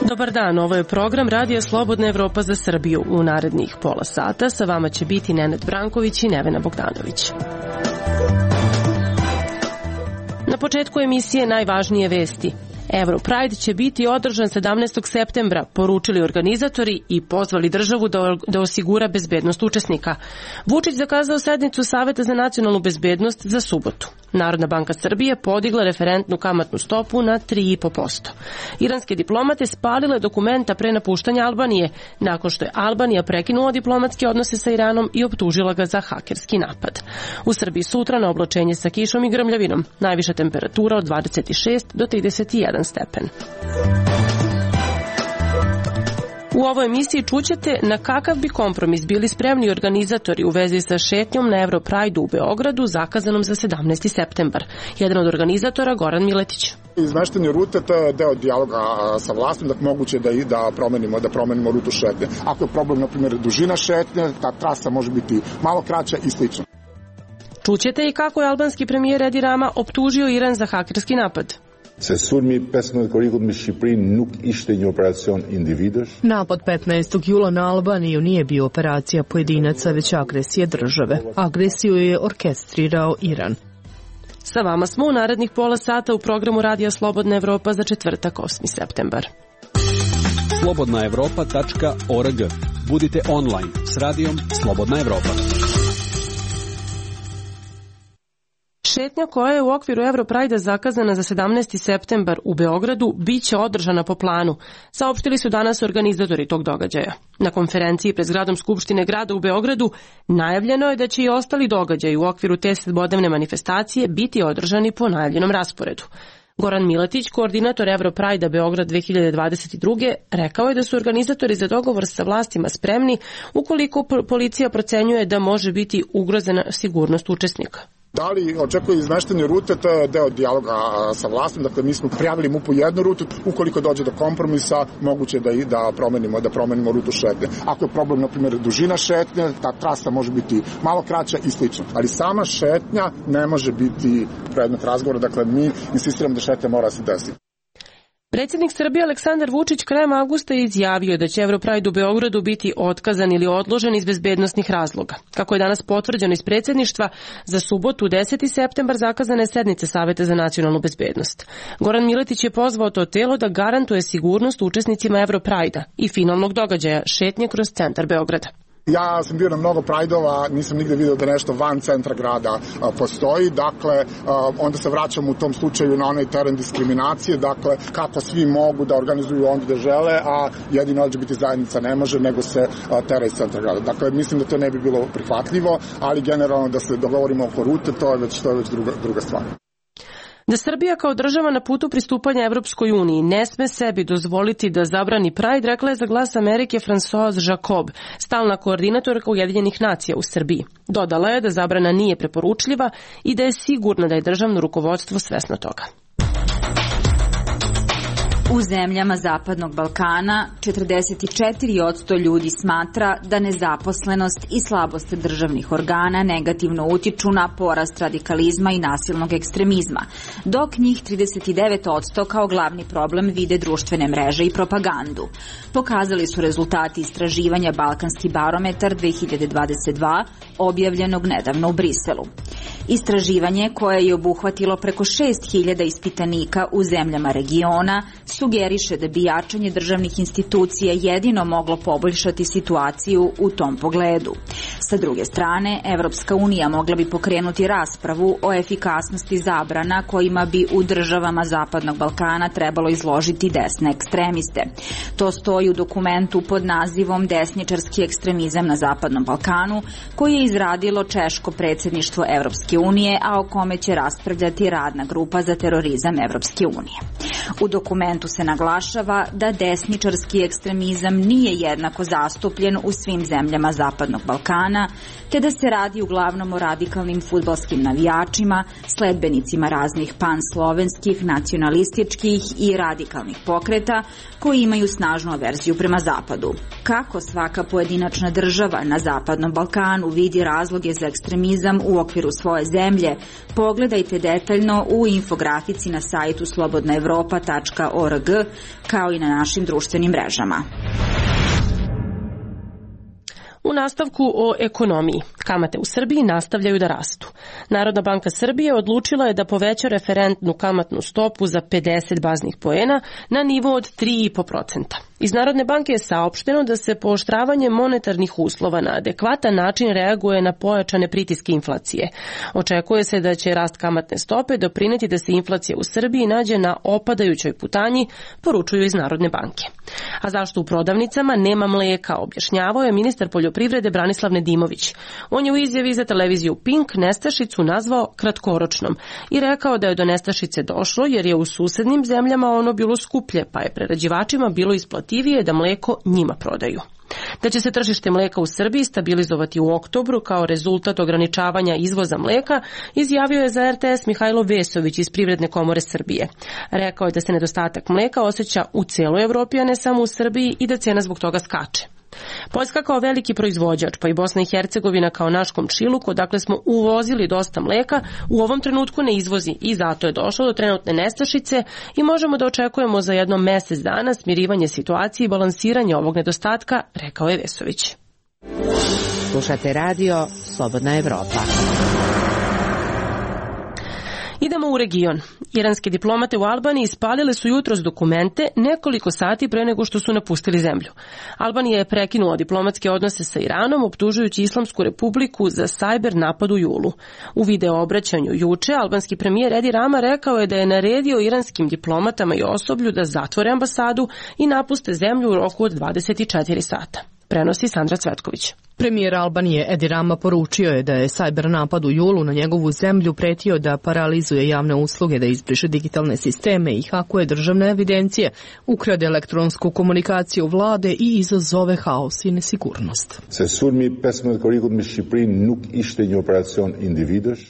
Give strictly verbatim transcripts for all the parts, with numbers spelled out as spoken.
Dobar dan, ovo je program Radija Slobodna Evropa za Srbiju. U narednih pola sata sa vama će biti Nenad Branković i Nevena Bogdanović. Na početku emisije najvažnije vesti. Europride će biti održan sedamnaestog septembra, poručili organizatori i pozvali državu da, da osigura bezbednost učesnika. Vučić zakazao sednicu Saveta za nacionalnu bezbednost za subotu. Narodna banka Srbije podigla referentnu kamatnu stopu na tri zarez pet posto. Iranske diplomate spalile dokumenta pre napuštanja Albanije, nakon što je Albanija prekinula diplomatske odnose sa Iranom i optužila ga za hakerski napad. U Srbiji sutra na oblačenje sa kišom i grmljavinom, najviša temperatura od dvadeset šest do trideset jedan stepen. U ovoj emisiji čućete na kakav bi kompromis bili spremni organizatori u vezi sa šetnjom na Europride u Beogradu zakazanom za sedamnaesti septembar. Jedan od organizatora, Goran Miletić. Izmeštanje rute, to je deo dijaloga sa vlastom, da moguće da i da promenimo, da promenimo rutu šetnje. Ako je problem, na primjer, dužina šetnje, ta trasa može biti malo kraća i slično. Čućete i kako je albanski premijer Edi Rama optužio Iran za hakerski napad. Se sulmi pesëmbëdhjetë korrikut me Shqipërinë nuk ishte një operacion individësh. Napad petnaestog jula na Albaniju nije bio operacija pojedinaca, već agresija države. Agresiju je orkestrirao Iran. Sa vama smo u narednih pola sata u programu Radija Slobodna Evropa za četvrtak, osmi septembar. slobodna evropa tačka org. Budite online s Radijom Slobodna Evropa. Šetnja koja je u okviru Europride zakazana za sedamnaesti septembar u Beogradu biće održana po planu, saopštili su danas organizatori tog događaja. Na konferenciji pred zgradom Skupštine grada u Beogradu najavljeno je da će i ostali događaji u okviru te sedmodnevne manifestacije biti održani po najavljenom rasporedu. Goran Miletić, koordinator Europride Beograd dve hiljade dvadeset druge, rekao je da su organizatori za dogovor sa vlastima spremni ukoliko policija procenjuje da može biti ugrozena sigurnost učesnika. Da li očekuje izmeštanje rute, to je deo dijaloga sa vlastom, dakle mi smo prijavili M U P-u jednu rutu, ukoliko dođe do kompromisa, moguće da i da promenimo, da promenimo rutu šetnje. Ako je problem, na primjer, dužina šetnje, ta trasa može biti malo kraća i slično. Ali sama šetnja ne može biti predmet razgovora, dakle mi insistiramo da šetnja mora se desiti. Predsjednik Srbije Aleksandar Vučić krajem avgusta je izjavio da će Europride u Beogradu biti otkazan ili odložen iz bezbednosnih razloga. Kako je danas potvrđeno iz predsjedništva, za subotu deseti septembar zakazane je sednice Saveta za nacionalnu bezbednost. Goran Miletić je pozvao to telo da garantuje sigurnost učesnicima Europride-a i finalnog događaja šetnje kroz centar Beograda. Ja sam bio na mnogo prajdova, nisam nigde video da nešto van centra grada a, postoji, dakle a, onda se vraćam u tom slučaju na onaj teren diskriminacije, dakle kako svi mogu da organizuju onda da žele, a jedino L G B T zajednica ne može, nego se a, tera iz centra grada. Dakle, mislim da to ne bi bilo prihvatljivo, ali generalno da se dogovorimo oko rute, to je već, to je već druga, druga stvar. Da Srbija kao država na putu pristupanja Evropskoj uniji ne sme sebi dozvoliti da zabrani Pride, rekla je za Glas Amerike Françoise Jacob, stalna koordinatorka Ujedinjenih nacija u Srbiji. Dodala je da zabrana nije preporučljiva i da je sigurna da je državno rukovodstvo svesno toga. U zemljama Zapadnog Balkana četrdeset četiri posto ljudi smatra da nezaposlenost i slabost državnih organa negativno utiču na porast radikalizma i nasilnog ekstremizma, dok njih trideset devet posto kao glavni problem vide društvene mreže i propagandu. Pokazali su rezultati istraživanja Balkanski barometar dve hiljade dvadeset dva, objavljenog nedavno u Briselu. Istraživanje, koje je obuhvatilo preko šest hiljada ispitanika u zemljama regiona, sugeriše da bi jačanje državnih institucija jedino moglo poboljšati situaciju u tom pogledu. Sa druge strane, Evropska unija mogla bi pokrenuti raspravu o efikasnosti zabrana kojima bi u državama Zapadnog Balkana trebalo izložiti desne ekstremiste. To stoji u dokumentu pod nazivom Desničarski ekstremizam na Zapadnom Balkanu, koji je izradilo češko predsjedništvo Evropske Evropske unije, a o kome će raspravljati radna grupa za terorizam Evropske unije. U dokumentu se naglašava da desničarski ekstremizam nije jednako zastupljen u svim zemljama Zapadnog Balkana, te da se radi uglavnom o radikalnim fudbalskim navijačima, sledbenicima raznih panslovenskih, nacionalističkih i radikalnih pokreta koji imaju snažnu averziju prema Zapadu. Kako svaka pojedinačna država na Zapadnom Balkanu vidi razloge za ekstremizam u okviru svoje zemlje, pogledajte detaljno u infografici na sajtu slobodna evropa tačka org kao i na našim društvenim mrežama. U nastavku o ekonomiji. Kamate u Srbiji nastavljaju da rastu. Narodna banka Srbije odlučila je da poveća referentnu kamatnu stopu za pedeset baznih poena na nivo od tri zarez pet posto. Iz Narodne banke je saopšteno da se pooštravanje monetarnih uslova na adekvatan način reaguje na pojačane pritiske inflacije. Očekuje se da će rast kamatne stope doprineti da se inflacija u Srbiji nađe na opadajućoj putanji, poručuju iz Narodne banke. A zašto u prodavnicama nema mleka, objašnjavao je ministar poljoprivrede Branislav Nedimović. On je u izjavi za televiziju Pink nestašicu nazvao kratkoročnom i rekao da je do nestašice došlo jer je u susednim zemljama ono bilo skuplje, pa je prerađivačima bilo isplativije da mleko njima prodaju. Da će se tržište mleka u Srbiji stabilizovati u oktobru kao rezultat ograničavanja izvoza mleka, izjavio je za er te es Mihajlo Vesović iz Privredne komore Srbije. Rekao je da se nedostatak mleka osjeća u celoj Evropi, a ne samo u Srbiji, i da cena zbog toga skače. Poljska kao veliki proizvođač, pa i Bosna i Hercegovina kao naš komšiluk, odakle smo uvozili dosta mleka, u ovom trenutku ne izvozi i zato je došlo do trenutne nestašice i možemo da očekujemo za jedno mesec dana smirivanje situacije i balansiranje ovog nedostatka, rekao je Vesović. Slušate radio Slobodna Evropa. Idemo u region. Iranske diplomate u Albaniji ispalile su jutros dokumente nekoliko sati pre nego što su napustili zemlju. Albanija je prekinula diplomatske odnose sa Iranom, optužujući Islamsku republiku za sajber napad u julu. U video obraćanju juče, albanski premijer Edi Rama rekao je da je naredio iranskim diplomatama i osoblju da zatvore ambasadu i napuste zemlju u roku od dvadeset četiri sata. Prenosi Sandra Cvetković. Premijer Albanije Edi Rama poručio je da je sajber napad u julu na njegovu zemlju pretio da paralizuje javne usluge, da izbriše digitalne sisteme i hakuje državne evidencije, ukrade elektronsku komunikaciju vlade i izazove haos i nesigurnost.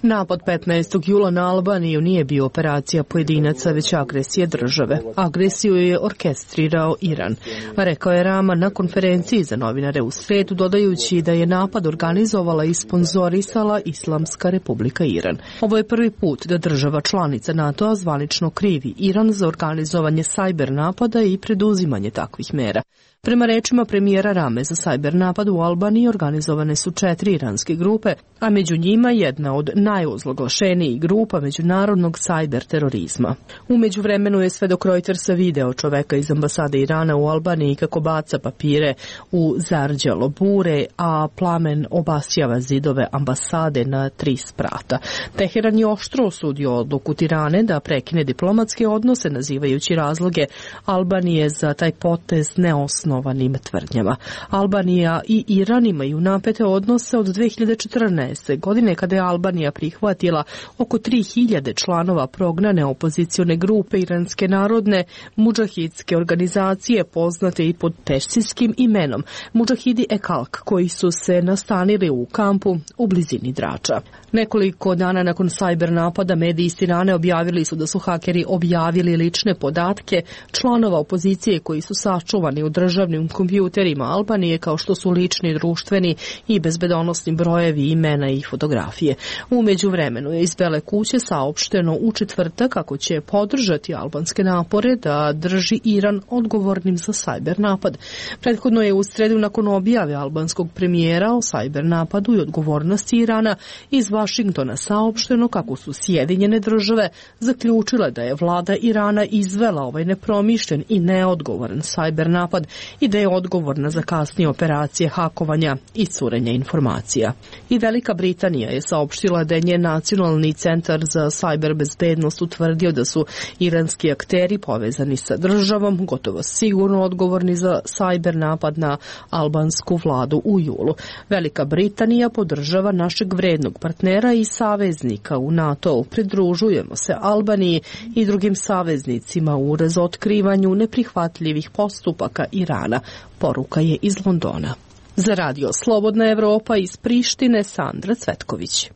Napad petnaestog jula na Albaniju nije bio operacija pojedinaca, već agresija države. Agresiju je orkestrirao Iran, rekao je Rama na konferenciji za novinare u sredu, dodajući da je napad organizovala i sponzorisala Islamska republika Iran. Ovo je prvi put da država članica NATO-a zvanično krivi Iran za organizovanje sajber napada i preduzimanje takvih mera. Prema rečima premijera Rame, za sajber napad u Albaniji organizovane su četiri iranske grupe, a među njima jedna od najozloglašenijih grupa međunarodnog sajber terorizma. U međuvremenu je svedok Reutersa video čoveka iz ambasade Irana u Albaniji kako baca papire u zarđalo bure, a plamen obasjava zidove ambasade na tri sprata. Teheran je oštro osudio odluku Tirane da prekine diplomatske odnose, nazivajući razloge Albanije za taj potez neosnovanim tvrdnjama. Albanija i Iran imaju napete odnose od dve hiljade četrnaeste. godine kada je Albanija prihvatila oko tri hiljade članova prognane opozicione grupe Iranske narodne mudžahidske organizacije, poznate i pod persijskim imenom Mudžahidi Ekalk, koji su se nastanili u kampu u blizini Drača. Nekoliko dana nakon sajber napada mediji iz Tirane objavili su da su hakeri objavili lične podatke članova opozicije koji su sačuvani u državnim kompjuterima Albanije, kao što su lični, društveni i bezbedonosni brojevi, imena i fotografije. U međuvremenu je iz Bele kuće saopšteno u četvrtak kako će podržati albanske napore da drži Iran odgovornim za sajber napad. Prethodno je u sredu nakon objave albanskog premijera o sajber napadu i odgovornosti Irana iz Vašingtona saopšteno kako su Sjedinjene države zaključile da je vlada Irana izvela ovaj nepromišljen i neodgovoran sajber napad i da je odgovorna za kasnije operacije hakovanja i curenja informacija. I Velika Britanija je saopštila da je njen nacionalni centar za sajber bezbednost utvrdio da su iranski akteri povezani sa državom, gotovo sigurno odgovorni za sajber napad na albansku vladu u julu. Velika Britanija podržava našeg vrednog partnera i saveznika u NATO-u. Pridružujemo se Albaniji i drugim saveznicima u razotkrivanju neprihvatljivih postupaka Irana, poruka je iz Londona. Za radio Slobodna Evropa iz Prištine, Sandra Cvetković.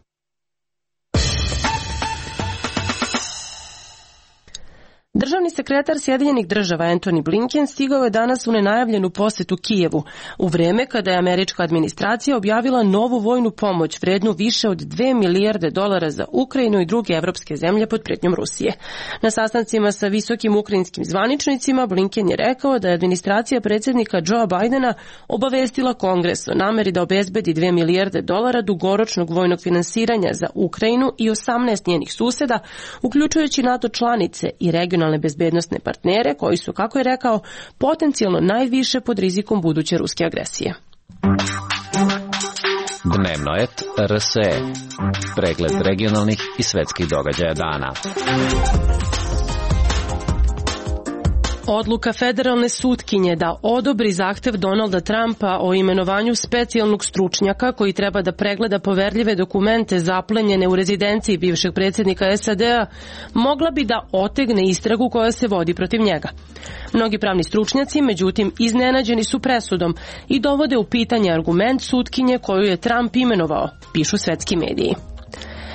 Državni sekretar Sjedinjenih država Antony Blinken stigao je danas u nenajavljenu posetu Kijevu, u vreme kada je američka administracija objavila novu vojnu pomoć vrednu više od dve milijarde dolara za Ukrajinu i druge evropske zemlje pod pretnjom Rusije. Na sastancima sa visokim ukrajinskim zvaničnicima Blinken je rekao da je administracija predsjednika Joea Bidena obavestila Kongres o nameri da obezbedi dve milijarde dolara dugoročnog vojnog finansiranja za Ukrajinu i osamnaest njenih suseda, uključujući NATO članice i regionalne bezbednosne partnere koji su, kako je rekao, potencijalno najviše pod rizikom buduće ruske agresije. Dnevnoet R S E. Pregled regionalnih i svetskih događaja dana. Odluka federalne sutkinje da odobri zahtev Donalda Trumpa o imenovanju specijalnog stručnjaka koji treba da pregleda poverljive dokumente zaplenjene u rezidenciji bivšeg predsjednika S A D-a mogla bi da otegne istragu koja se vodi protiv njega. Mnogi pravni stručnjaci, međutim, iznenađeni su presudom i dovode u pitanje argument sutkinje koju je Trump imenovao, pišu svetski mediji.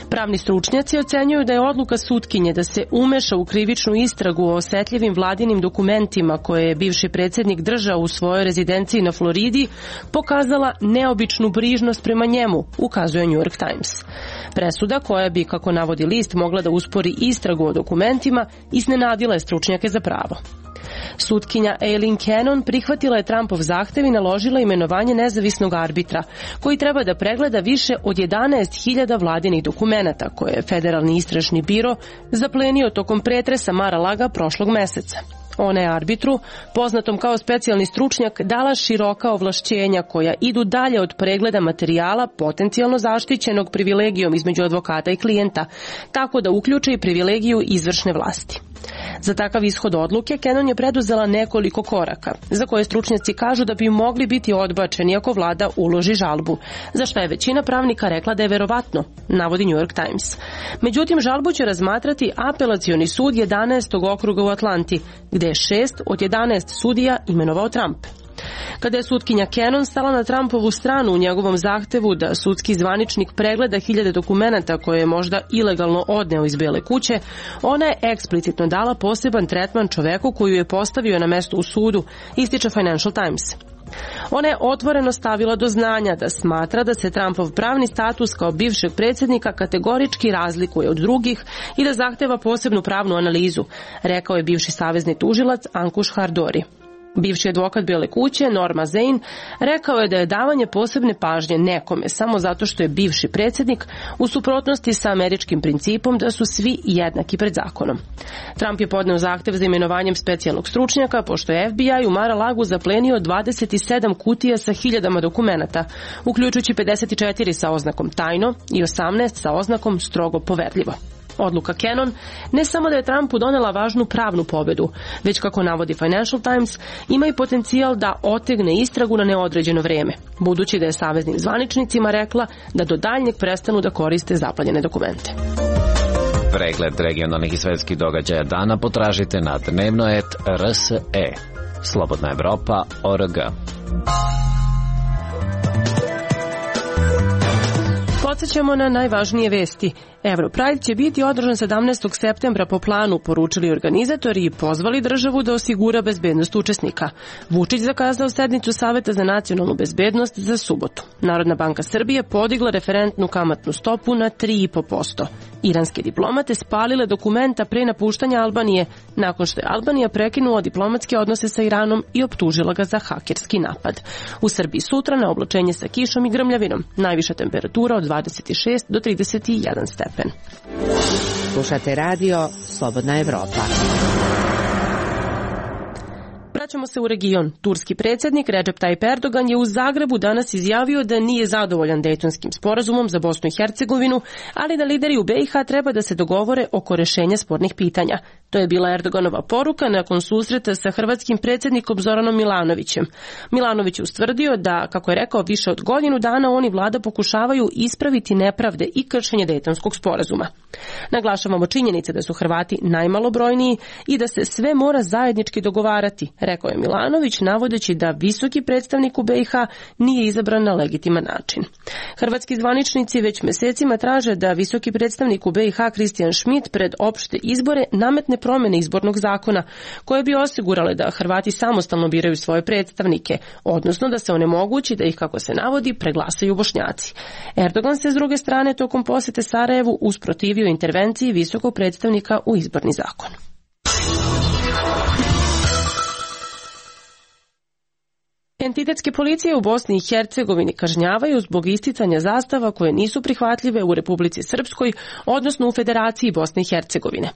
Pravni stručnjaci ocenjuju da je odluka sutkinje da se umeša u krivičnu istragu o osetljivim vladinim dokumentima koje je bivši predsjednik držao u svojoj rezidenciji na Floridi pokazala neobičnu brižnost prema njemu, ukazuje New York Times. Presuda koja bi, kako navodi list, mogla da uspori istragu o dokumentima, iznenadila je stručnjake za pravo. Sutkinja Aileen Cannon prihvatila je Trumpov zahtev i naložila imenovanje nezavisnog arbitra, koji treba da pregleda više od jedanaest hiljada vladinih dokumenata koje je Federalni istražni biro zaplenio tokom pretresa Mar-a-Laga prošlog meseca. Ona je arbitru, poznatom kao specijalni stručnjak, dala široka ovlašćenja koja idu dalje od pregleda materijala potencijalno zaštićenog privilegijom između advokata i klijenta, tako da uključe i privilegiju izvršne vlasti. Za takav ishod odluke Cannon je preduzela nekoliko koraka, za koje stručnjaci kažu da bi mogli biti odbačeni ako vlada uloži žalbu, za što je većina pravnika rekla da je verovatno, navodi New York Times. Međutim, žalbu će razmatrati apelacioni sud jedanaestog okruga u Atlanti, gde je šest od jedanaest sudija imenovao Trump. Kada je sutkinja Cannon stala na Trumpovu stranu u njegovom zahtevu da sudski zvaničnik pregleda hiljade dokumenata koje je možda ilegalno odneo iz Bele kuće, ona je eksplicitno dala poseban tretman čoveku koju je postavio na mesto u sudu, ističe Financial Times. Ona je otvoreno stavila do znanja da smatra da se Trumpov pravni status kao bivšeg predsjednika kategorički razlikuje od drugih i da zahteva posebnu pravnu analizu, rekao je bivši savezni tužilac Ankuš Hardori. Bivši advokat Bele kuće, Norma Zain, rekao je da je davanje posebne pažnje nekome samo zato što je bivši predsjednik u suprotnosti sa američkim principom da su svi jednaki pred zakonom. Trump je podneo zahtev za imenovanjem specijalnog stručnjaka pošto je F B I u Mar-a-Lagu zaplenio dvadeset sedam kutija sa hiljadama dokumenata, uključujući pedeset četiri sa oznakom tajno i osamnaest sa oznakom strogo poverljivo. Odluka Cannon ne samo da je Trumpu donela važnu pravnu pobedu, već, kako navodi Financial Times, ima i potencijal da otegne istragu na neodređeno vreme, budući da je saveznim zvaničnicima rekla da do daljnjeg prestanu da koriste zaplenjene dokumente. Pregled regionalnih i svetskih događaja dana potražite na dnevnoet R S E. Slobodna Evropa O R G. Podsećamo na najvažnije vesti. Europride će biti održan sedamnaestog septembra po planu, poručili organizatori i pozvali državu da osigura bezbednost učesnika. Vučić zakazao sednicu Saveta za nacionalnu bezbednost za subotu. Narodna banka Srbije podigla referentnu kamatnu stopu na tri i po posto. Iranske diplomate spalile dokumenta pre napuštanja Albanije, nakon što je Albanija prekinula diplomatske odnose sa Iranom i optužila ga za hakerski napad. U Srbiji sutra na oblačenje sa kišom i grmljavinom. Najviša temperatura od dvadeset šest do trideset jedan stepen. Slušate radio Slobodna Evropa. Vraćamo se u region. Turski predsjednik Recep Tayyip Erdogan je u Zagrebu danas izjavio da nije zadovoljan Dejtonskim sporazumom za Bosnu i Hercegovinu, ali da lideri u B i H treba da se dogovore oko rešenja spornih pitanja. To je bila Erdoganova poruka nakon susreta sa hrvatskim predsjednikom Zoranom Milanovićem. Milanović je ustvrdio da, kako je rekao, više od godinu dana oni vlada pokušavaju ispraviti nepravde i kršenje Dejtonskog sporazuma. Naglašavamo činjenice da su Hrvati najmalobrojniji i da se sve mora zajednički dogovarati, rekao je Milanović, navodeći da visoki predstavnik u B i H nije izabran na legitiman način. Hrvatski zvaničnici već mesecima traže da visoki predstavnik u B i H Christian Schmidt pred opšte izbore nametne promjene izbornog zakona koje bi osigurale da Hrvati samostalno biraju svoje predstavnike, odnosno da se onemogući da ih, kako se navodi, preglasaju Bošnjaci. Erdogan se s druge strane tokom posete Sarajevu usprotivio intervenciji visokog predstavnika u izborni zakon. Entitetske policije u Bosni i Hercegovini kažnjavaju zbog isticanja zastava koje nisu prihvatljive u Republici Srpskoj, odnosno u Federaciji Bosne i Hercegovine.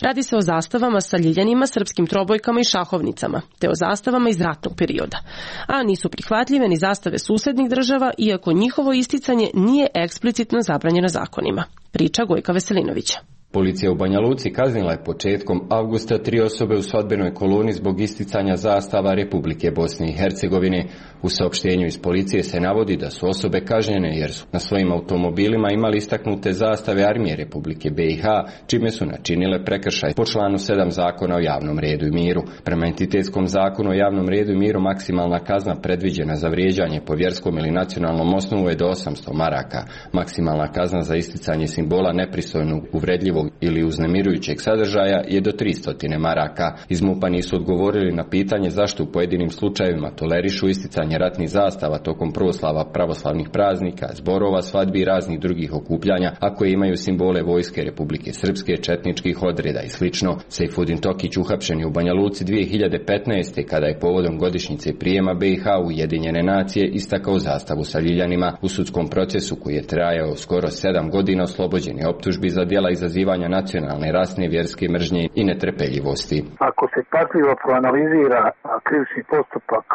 Radi se o zastavama sa ljiljanima, srpskim trobojkama i šahovnicama, te o zastavama iz ratnog perioda. A nisu prihvatljive ni zastave susednih država, iako njihovo isticanje nije eksplicitno zabranjeno zakonima. Priča Gojka Veselinovića. Policija u Banja Luci kaznila je početkom avgusta tri osobe u svodbenoj koloni zbog isticanja zastava Republike Bosne i Hercegovine. U saopštenju iz policije se navodi da su osobe kažnjene jer su na svojim automobilima imali istaknute zastave Armije Republike B i H, čime su načinile prekršaj po članu sedam Zakona o javnom redu i miru. Prema entitetskom zakonu o javnom redu i miru maksimalna kazna predviđena za vrijeđanje po vjerskom ili nacionalnom osnovu je do osamsto maraka. Maksimalna kazna za isticanje simbola nepristojnog, uvredljivog ili uznemirujućeg sadržaja je do tristo maraka. Iz MUP-a nisu odgovorili na pitanje zašto u pojedinim slučajevima tolerišu isticanje ratnih zastava tokom proslava pravoslavnih praznika, zborova, svadbi i raznih drugih okupljanja, a koje imaju simbole vojske Republike Srpske, četničkih odreda i slično. Sejfudin Tokić uhapšen je u Banja Luci dvije hiljade petnaeste. kada je povodom godišnjice prijema B i H u Ujedinjene nacije istakao zastavu sa ljiljanima. U sudskom procesu koji je trajao skoro sedam godina oslobođen je optužbi za djela izazivanja nacionalne, rasne, vjerske mržnje i netrpeljivosti. Ako se pažljivo proanalizira krivični postupak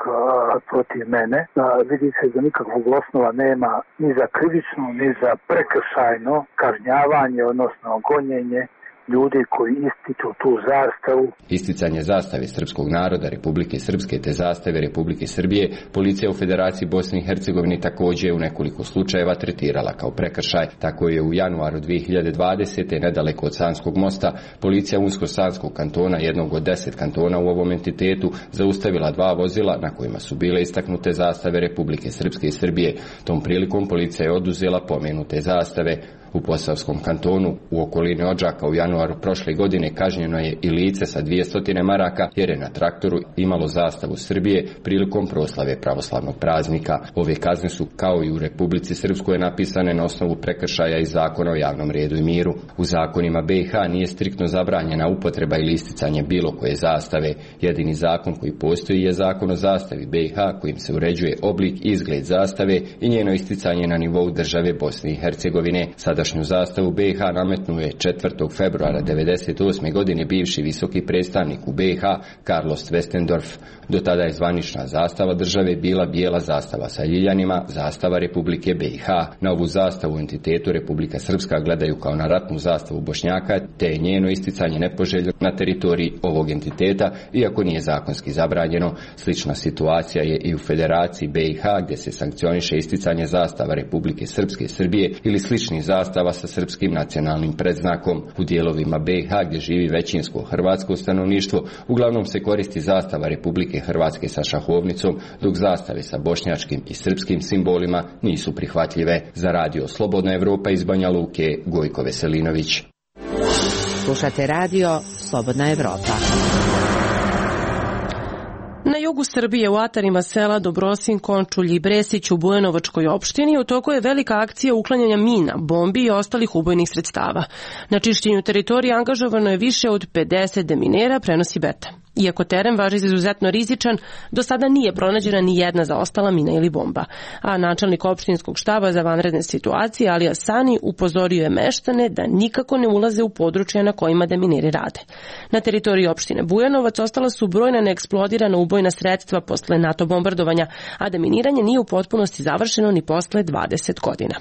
protiv mene, vidi se da nikakvog osnova nema ni za krivično, ni za prekršajno kažnjavanje, odnosno gonjenje ljudi koji ističu tu zastavu. Isticanje zastave srpskog naroda Republike Srpske te zastave Republike Srbije policija u Federaciji Bosne i Hercegovine također je u nekoliko slučajeva tretirala kao prekršaj. Tako je u januaru dvije hiljade dvadesete. nedaleko od Sanskog mosta policija Unsko-Sanskog kantona, jednog od deset kantona u ovom entitetu, zaustavila dva vozila na kojima su bile istaknute zastave Republike Srpske i Srbije. Tom prilikom policija je oduzela pomenute zastave. U Posavskom kantonu u okolini Odžaka u januaru prošle godine kažnjeno je i lice sa dvjesto maraka jer je na traktoru imalo zastavu Srbije prilikom proslave pravoslavnog praznika. Ove kazne su, kao i u Republici Srpskoj, napisane na osnovu prekršaja iz Zakona o javnom redu i miru. U zakonima B i H nije striktno zabranjena upotreba ili isticanje bilo koje zastave. Jedini zakon koji postoji je Zakon o zastavi B i H kojim se uređuje oblik i izgled zastave i njeno isticanje na nivou države Bosne i Hercegovine. Sadašnju zastavu B i H nametnuo je četvrtog februara devedeset osme. godine bivši visoki predstavnik u B i H Carlos Westendorf. Do tada je zvanična zastava države bila bijela zastava sa ljiljanima, zastava Republike B i H. Na ovu zastavu u entitetu Republika Srpska gledaju kao na ratnu zastavu Bošnjaka, te je njeno isticanje nepoželjno na teritoriji ovog entiteta, iako nije zakonski zabranjeno. Slična situacija je i u Federaciji B i H, gdje se sankcioniše isticanje zastava Republike Srpske i Srbije ili sličnih zastava sa srpskim nacionalnim predznakom. U dijelovima B i H, gdje živi većinsko hrvatsko stanovništvo, uglavnom se koristi zastava Republike Hrvatske sa šahovnicom, dok zastave sa bošnjačkim i srpskim simbolima nisu prihvatljive. Za radio Slobodna Evropa iz Banja Luke, Gojko Veselinović. Slušate radio Slobodna Evropa. Na jugu Srbije u atarima sela Dobrosin, Končulj i Bresić u Bujanovačkoj opštini u toku je velika akcija uklanjanja mina, bombi i ostalih ubojnih sredstava. Na čišćenju teritorije angažovano je više od pedeset deminera, prenosi Beta. Iako teren važi za izuzetno rizičan, do sada nije pronađena ni jedna zaostala mina ili bomba. A načelnik opštinskog štaba za vanredne situacije Alija Sani upozorio je meštane da nikako ne ulaze u područja na kojima demineri rade. Na teritoriji opštine Bujanovac ostala su brojna neeksplodirana ubojna sredstva posle NATO bombardovanja, a deminiranje nije u potpunosti završeno ni posle dvadeset godina.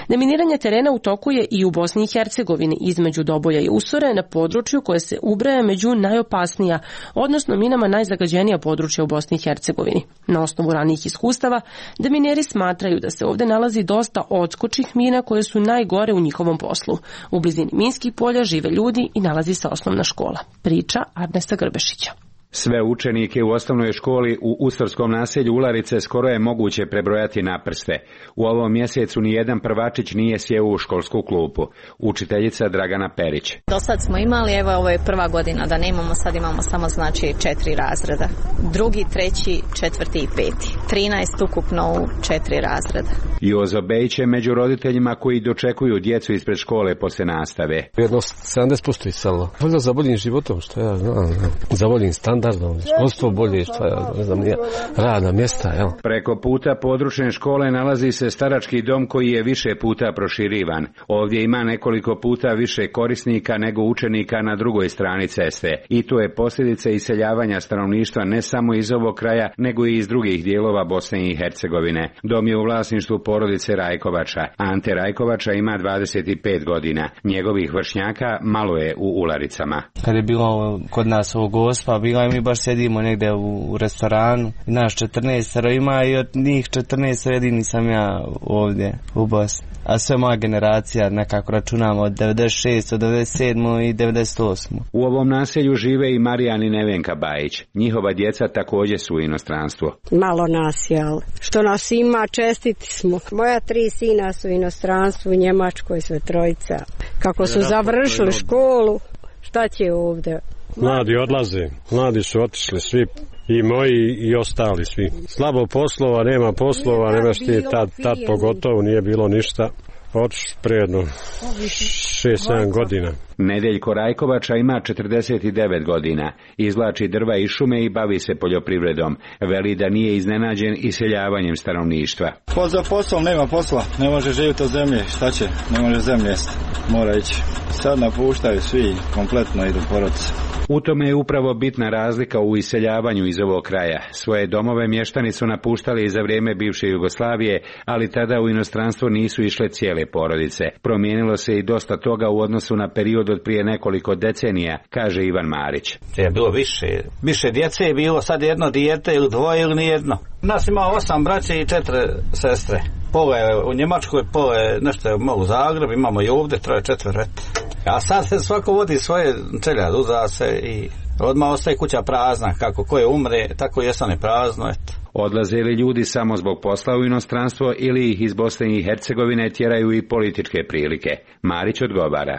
Deminiranje terena u toku je i u Bosni i Hercegovini između Doboja i Usore na području koje se ubraja među najopasnija, odnosno minama najzagađenija područja u Bosni i Hercegovini. Na osnovu ranijih iskustava, demineri smatraju da se ovde nalazi dosta odskočnih mina koje su najgore u njihovom poslu. U blizini minskih polja žive ljudi i nalazi se osnovna škola. Priča Arnesta Grbešića. Sve učenike u osnovnoj školi u Ustorskom naselju Ularice skoro je moguće prebrojati na prste. U ovom mjesecu nijedan prvačić nije sjeo u školsku klupu. Učiteljica Dragana Perić. Do sad smo imali, evo ovo je prva godina da ne imamo, sad imamo samo znači četiri razreda. Drugi, treći, četvrti i peti. trinaest ukupno u četiri razreda. Jozo Bejić je među roditeljima koji dočekuju djecu ispred škole posle nastave. Jedno sedamdeset posto isalo. Valjda za boljim životom, što ja znam, za boljim standardom. Školstvo bolje, što ja ne znam, nije radna mjesta, jel? Preko puta područne škole nalazi se starački dom koji je više puta proširivan. Ovdje ima nekoliko puta više korisnika nego učenika na drugoj strani ceste. I to je posljedica iseljavanja stanovništva ne samo iz ovog kraja, nego i iz drugih dijelova Bosne i Hercegovine. Dom je u vlasništvu porodice Rajkovača. Ante Rajkovača ima dvadeset pet godina. Njegovih vršnjaka malo je u Ularicama. Kad je bilo kod nas ovo Gospa, bila mi baš sedimo negdje u restoranu, naš četrnaest ima i od njih četrnaest jedini sam ja ovdje u Bosni. A sve moja generacija nekako računamo od devedeset šeste. do devedeset sedme. i devedeset osme. U ovom naselju žive i Marijan i Nevenka Bajić. Njihova djeca također su u inostranstvu. Malo nas je, ali što nas ima, čestiti smo. Moja tri sina su u inostranstvu, u Njemačkoj sve trojica. Kako su završili školu, šta će ovdje? Mladi odlaze, mladi su otišli svi, i moji i ostali svi. Slabo poslova, nema poslova, nema što je tad, tad pogotovo nije bilo ništa. Otišli prijedno šest sedam godina. Nedeljko Rajkovača ima četrdeset devet godina. Izvlači drva iz šume i bavi se poljoprivredom. Veli da nije iznenađen iseljavanjem stanovništva. Po za poslom nema posla, ne može živjeti od zemlje, šta će, ne može zemlje jesti, mora ići. Sad napuštaju svi, kompletno idu porodice. U tome je upravo bitna razlika u iseljavanju iz ovog kraja. Svoje domove mještani su napuštali za vrijeme bivše Jugoslavije, ali tada u inostranstvo nisu išle cijele porodice. Promijenilo se i dosta toga u odnosu na period od prije nekoliko decenija, kaže Ivan Marić. Je bilo više, više djece je bilo, sad jedno dijete ili dvoje ili nijedno. Nas ima osam braće i četiri sestre. Pola je u Njemačkoj, pola je nešto je malo u Zagrebu, imamo i ovdje troje četvrete. A sad se svako vodi svoje čeljad, uza se i odmah ostaje kuća prazna, kako koje umre, tako i jesane prazno, eto. Odlaze li ljudi samo zbog posla u inostranstvo ili ih iz Bosne i Hercegovine tjeraju i političke prilike? Marić odgovara.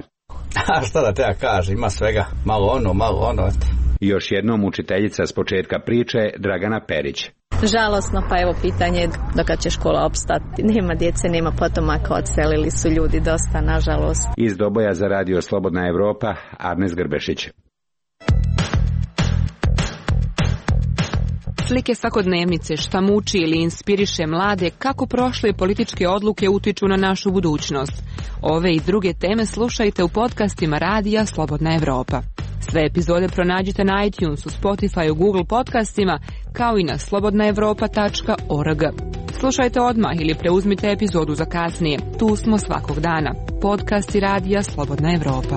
A šta da te ja kažem, ima svega, malo ono, malo ono, eto. Još jednom učiteljica s početka priče, Dragana Perić. Žalosno, pa evo pitanje do kad će škola opstati. Nema djece, nema potomaka, odselili su ljudi dosta, nažalost. Iz Doboja za radio Slobodna Evropa, Arnes Grbešić. Slike svakodnevnice, šta muči ili inspiriše mlade, kako prošle političke odluke utiču na našu budućnost. Ove i druge teme slušajte u podcastima radija Slobodna Evropa. Sve epizode pronađite na iTunesu, Spotifyu, Google podcastima, kao i na slobodna evropa tačka org. Slušajte odmah ili preuzmite epizodu za kasnije. Tu smo svakog dana. Podcasti radija Slobodna Evropa.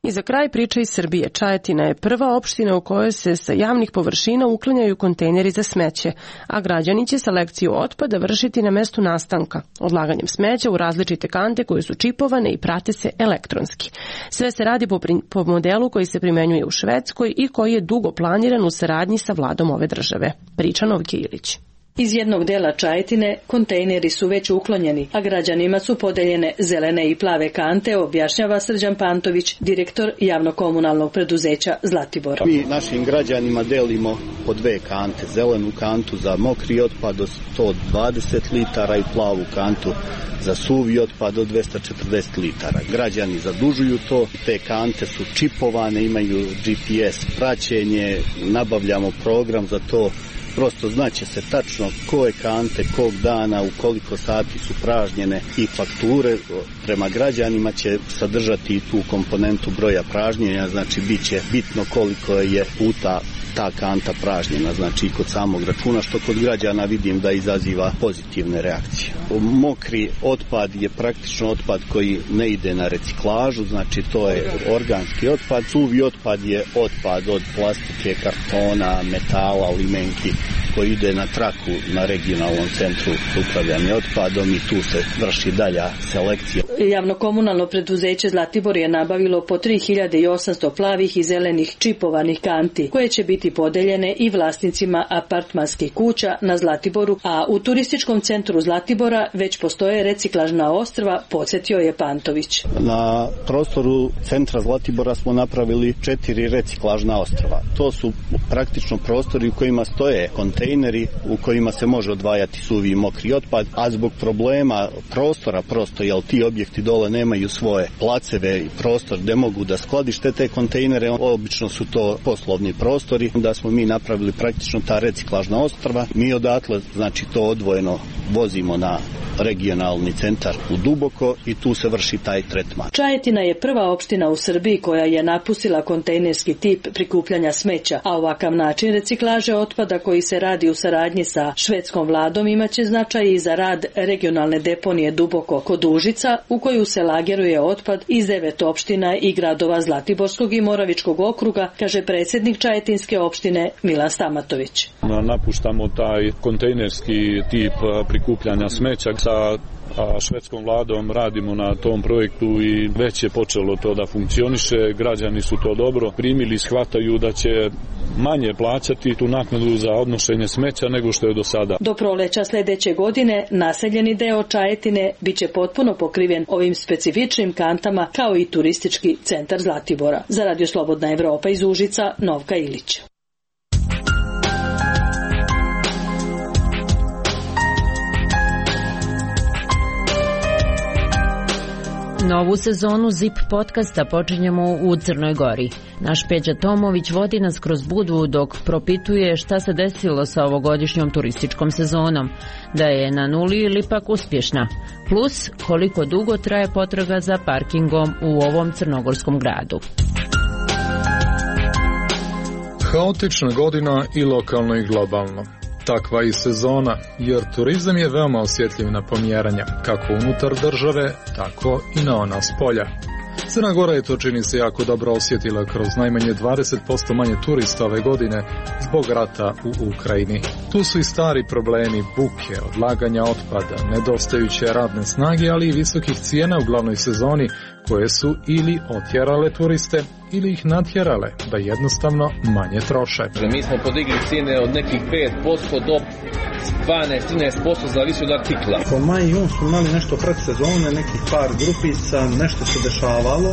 I za kraj priče iz Srbije. Čajetina je prva opština u kojoj se sa javnih površina uklanjaju kontejneri za smeće, a građani će selekciju otpada vršiti na mestu nastanka, odlaganjem smeća u različite kante koje su čipovane i prate se elektronski. Sve se radi po, po modelu koji se primenjuje u Švedskoj i koji je dugo planiran u saradnji sa vladom ove države. Priča Novke Ilić. Iz jednog dela Čajetine kontejneri su već uklonjeni, a građanima su podeljene zelene i plave kante, objašnjava Srđan Pantović, direktor javno-komunalnog preduzeća Zlatibor. Mi našim građanima delimo po dve kante, zelenu kantu za mokri otpad do sto dvadeset litara i plavu kantu za suvi otpad do dvesta četrdeset litara. Građani zadužuju to, te kante su čipovane, imaju G P S praćenje, nabavljamo program za to. Prosto znaće se tačno koje kante, kog dana, u koliko sati su pražnjene i fakture prema građanima će sadržati tu komponentu broja pražnjenja, znači bit će bitno koliko je puta ta kanta pražnjena, znači i kod samog računa, što kod građana vidim da izaziva pozitivne reakcije. Mokri otpad je praktično otpad koji ne ide na reciklažu, znači to je organski otpad. Suvi otpad je otpad od plastike, kartona, metala, limenki, koji ide na traku na regionalnom centru upravljanja otpadom i tu se vrši dalja selekcija. Javno-komunalno preduzeće Zlatibor je nabavilo po tri hiljade osamsto plavih i zelenih čipovanih kanti, koje će biti podeljene i vlasnicima apartmanskih kuća na Zlatiboru, a u turističkom centru Zlatibora već postoje reciklažna ostrva, podsjetio je Pantović. Na prostoru centra Zlatibora smo napravili četiri reciklažna ostrva. To su praktično prostori u kojima stoje kontejneri u kojima se može odvajati suvi i mokri otpad, a zbog problema prostora prosto, jer ti objekti dole nemaju svoje placeve i prostor gde mogu da skladište te kontejnere, obično su to poslovni prostori, da smo mi napravili praktično ta reciklažna ostrva. Mi odatle, znači to odvojeno vozimo na regionalni centar u Duboko i tu se vrši taj tretman. Čajetina je prva opština u Srbiji koja je napustila kontejnerski tip prikupljanja smeća, a ovakav način reciklaže otpada koji se radi u saradnji sa švedskom vladom imaće značaj i za rad regionalne deponije Duboko kod Užica, u koju se lageruje otpad iz devet opština i gradova Zlatiborskog i Moravičkog okruga, kaže predsjednik Čajetinske opštine Milan Stamatović. Napuštamo taj kontejnerski tip prikupljanja smeća. Sa švedskom vladom radimo na tom projektu i već je počelo to da funkcioniše. Građani su to dobro primili, shvataju da će manje plaćati tu naknadu za odnošenje smeća nego što je do sada. Do proleća sljedeće godine naseljeni deo Čajetine biće potpuno pokriven ovim specifičnim kantama kao i turistički centar Zlatibora. Za Radio Slobodna Evropa iz Užica, Novka Ilić. Novu sezonu Zip podcasta počinjemo u Crnoj Gori. Naš Peđa Tomović vodi nas kroz Budvu dok propituje šta se desilo sa ovogodišnjom turističkom sezonom, da je na nuli ili pak uspješna, plus koliko dugo traje potraga za parkingom u ovom crnogorskom gradu. Haotična godina i lokalno i globalno. Takva i sezona, jer turizam je veoma osjetljiv na pomjeranja, kako unutar države, tako i na ona s polja. Crna Gora je to, čini se, jako dobro osjetila kroz najmanje dvadeset posto manje turista ove godine zbog rata u Ukrajini. Tu su i stari problemi buke, odlaganja otpada, nedostajuće radne snage, ali i visokih cijena u glavnoj sezoni, koje su ili otjerale turiste ili ih natjerale da jednostavno manje troše. Mi smo podigli cijene od nekih pet posto do dvanaest do trinaest posto zavisi od artikla. Po maj i jun smo imali nešto pred sezone, nekih par grupica, nešto se dešavalo,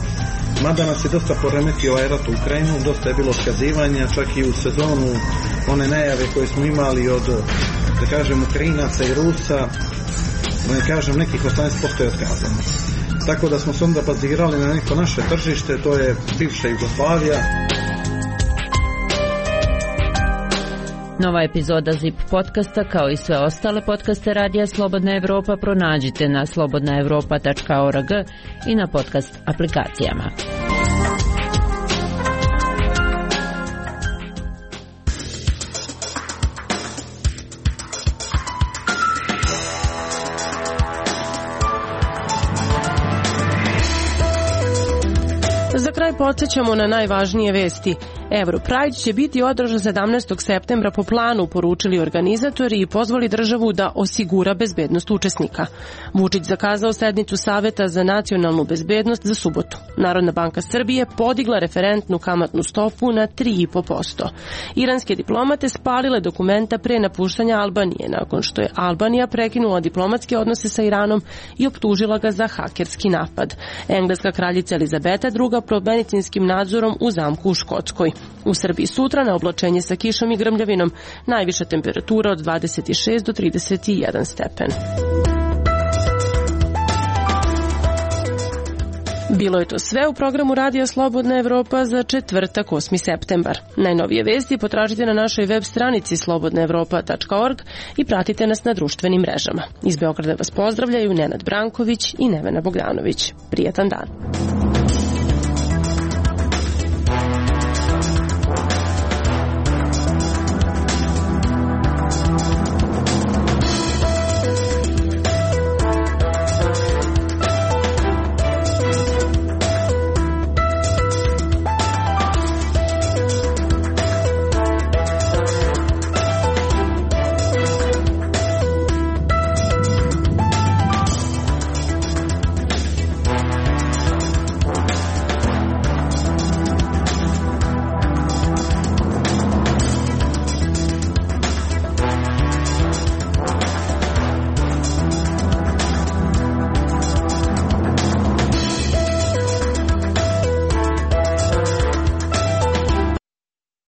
mada nas je dosta poremetio ovaj rat u Ukrajinu, dosta je bilo otkazivanja, čak i u sezonu one najave koje smo imali od, da kažem, Ukrajinaca i Rusa, da ne kažem, nekih osamnaest posto je otkazano. Tako da smo se onda bazirali na neko naše tržište, to je bivša Jugoslavija. Nova epizoda Zip podcasta, kao i sve ostale podcaste Radija Slobodna Evropa, pronađite na slobodna evropa tačka org i na podcast aplikacijama. Za kraj podsjećamo na najvažnije vesti. Europride će biti održan sedamnaestog septembra po planu, poručili organizatori i pozvali državu da osigura bezbednost učesnika. Vučić zakazao sednicu Saveta za nacionalnu bezbednost za subotu. Narodna banka Srbije podigla referentnu kamatnu stopu na tri i po posto. Iranske diplomate spalile dokumenta pre napuštanja Albanije, nakon što je Albanija prekinula diplomatske odnose sa Iranom i optužila ga za hakerski napad. Engleska kraljica Elizabeta druga pod medicinskim nadzorom u zamku u Škotskoj. U Srbiji sutra na oblačenje sa kišom i grmljavinom, najviša temperatura od dvadeset šest do trideset jedan stepen. Bilo je to sve u programu Radija Slobodna Evropa za četvrtak osmi septembar. Najnovije vesti potražite na našoj web stranici slobodna evropa tačka org i pratite nas na društvenim mrežama. Iz Beograda vas pozdravljaju Nenad Branković i Nevena Bogdanović. Prijetan dan.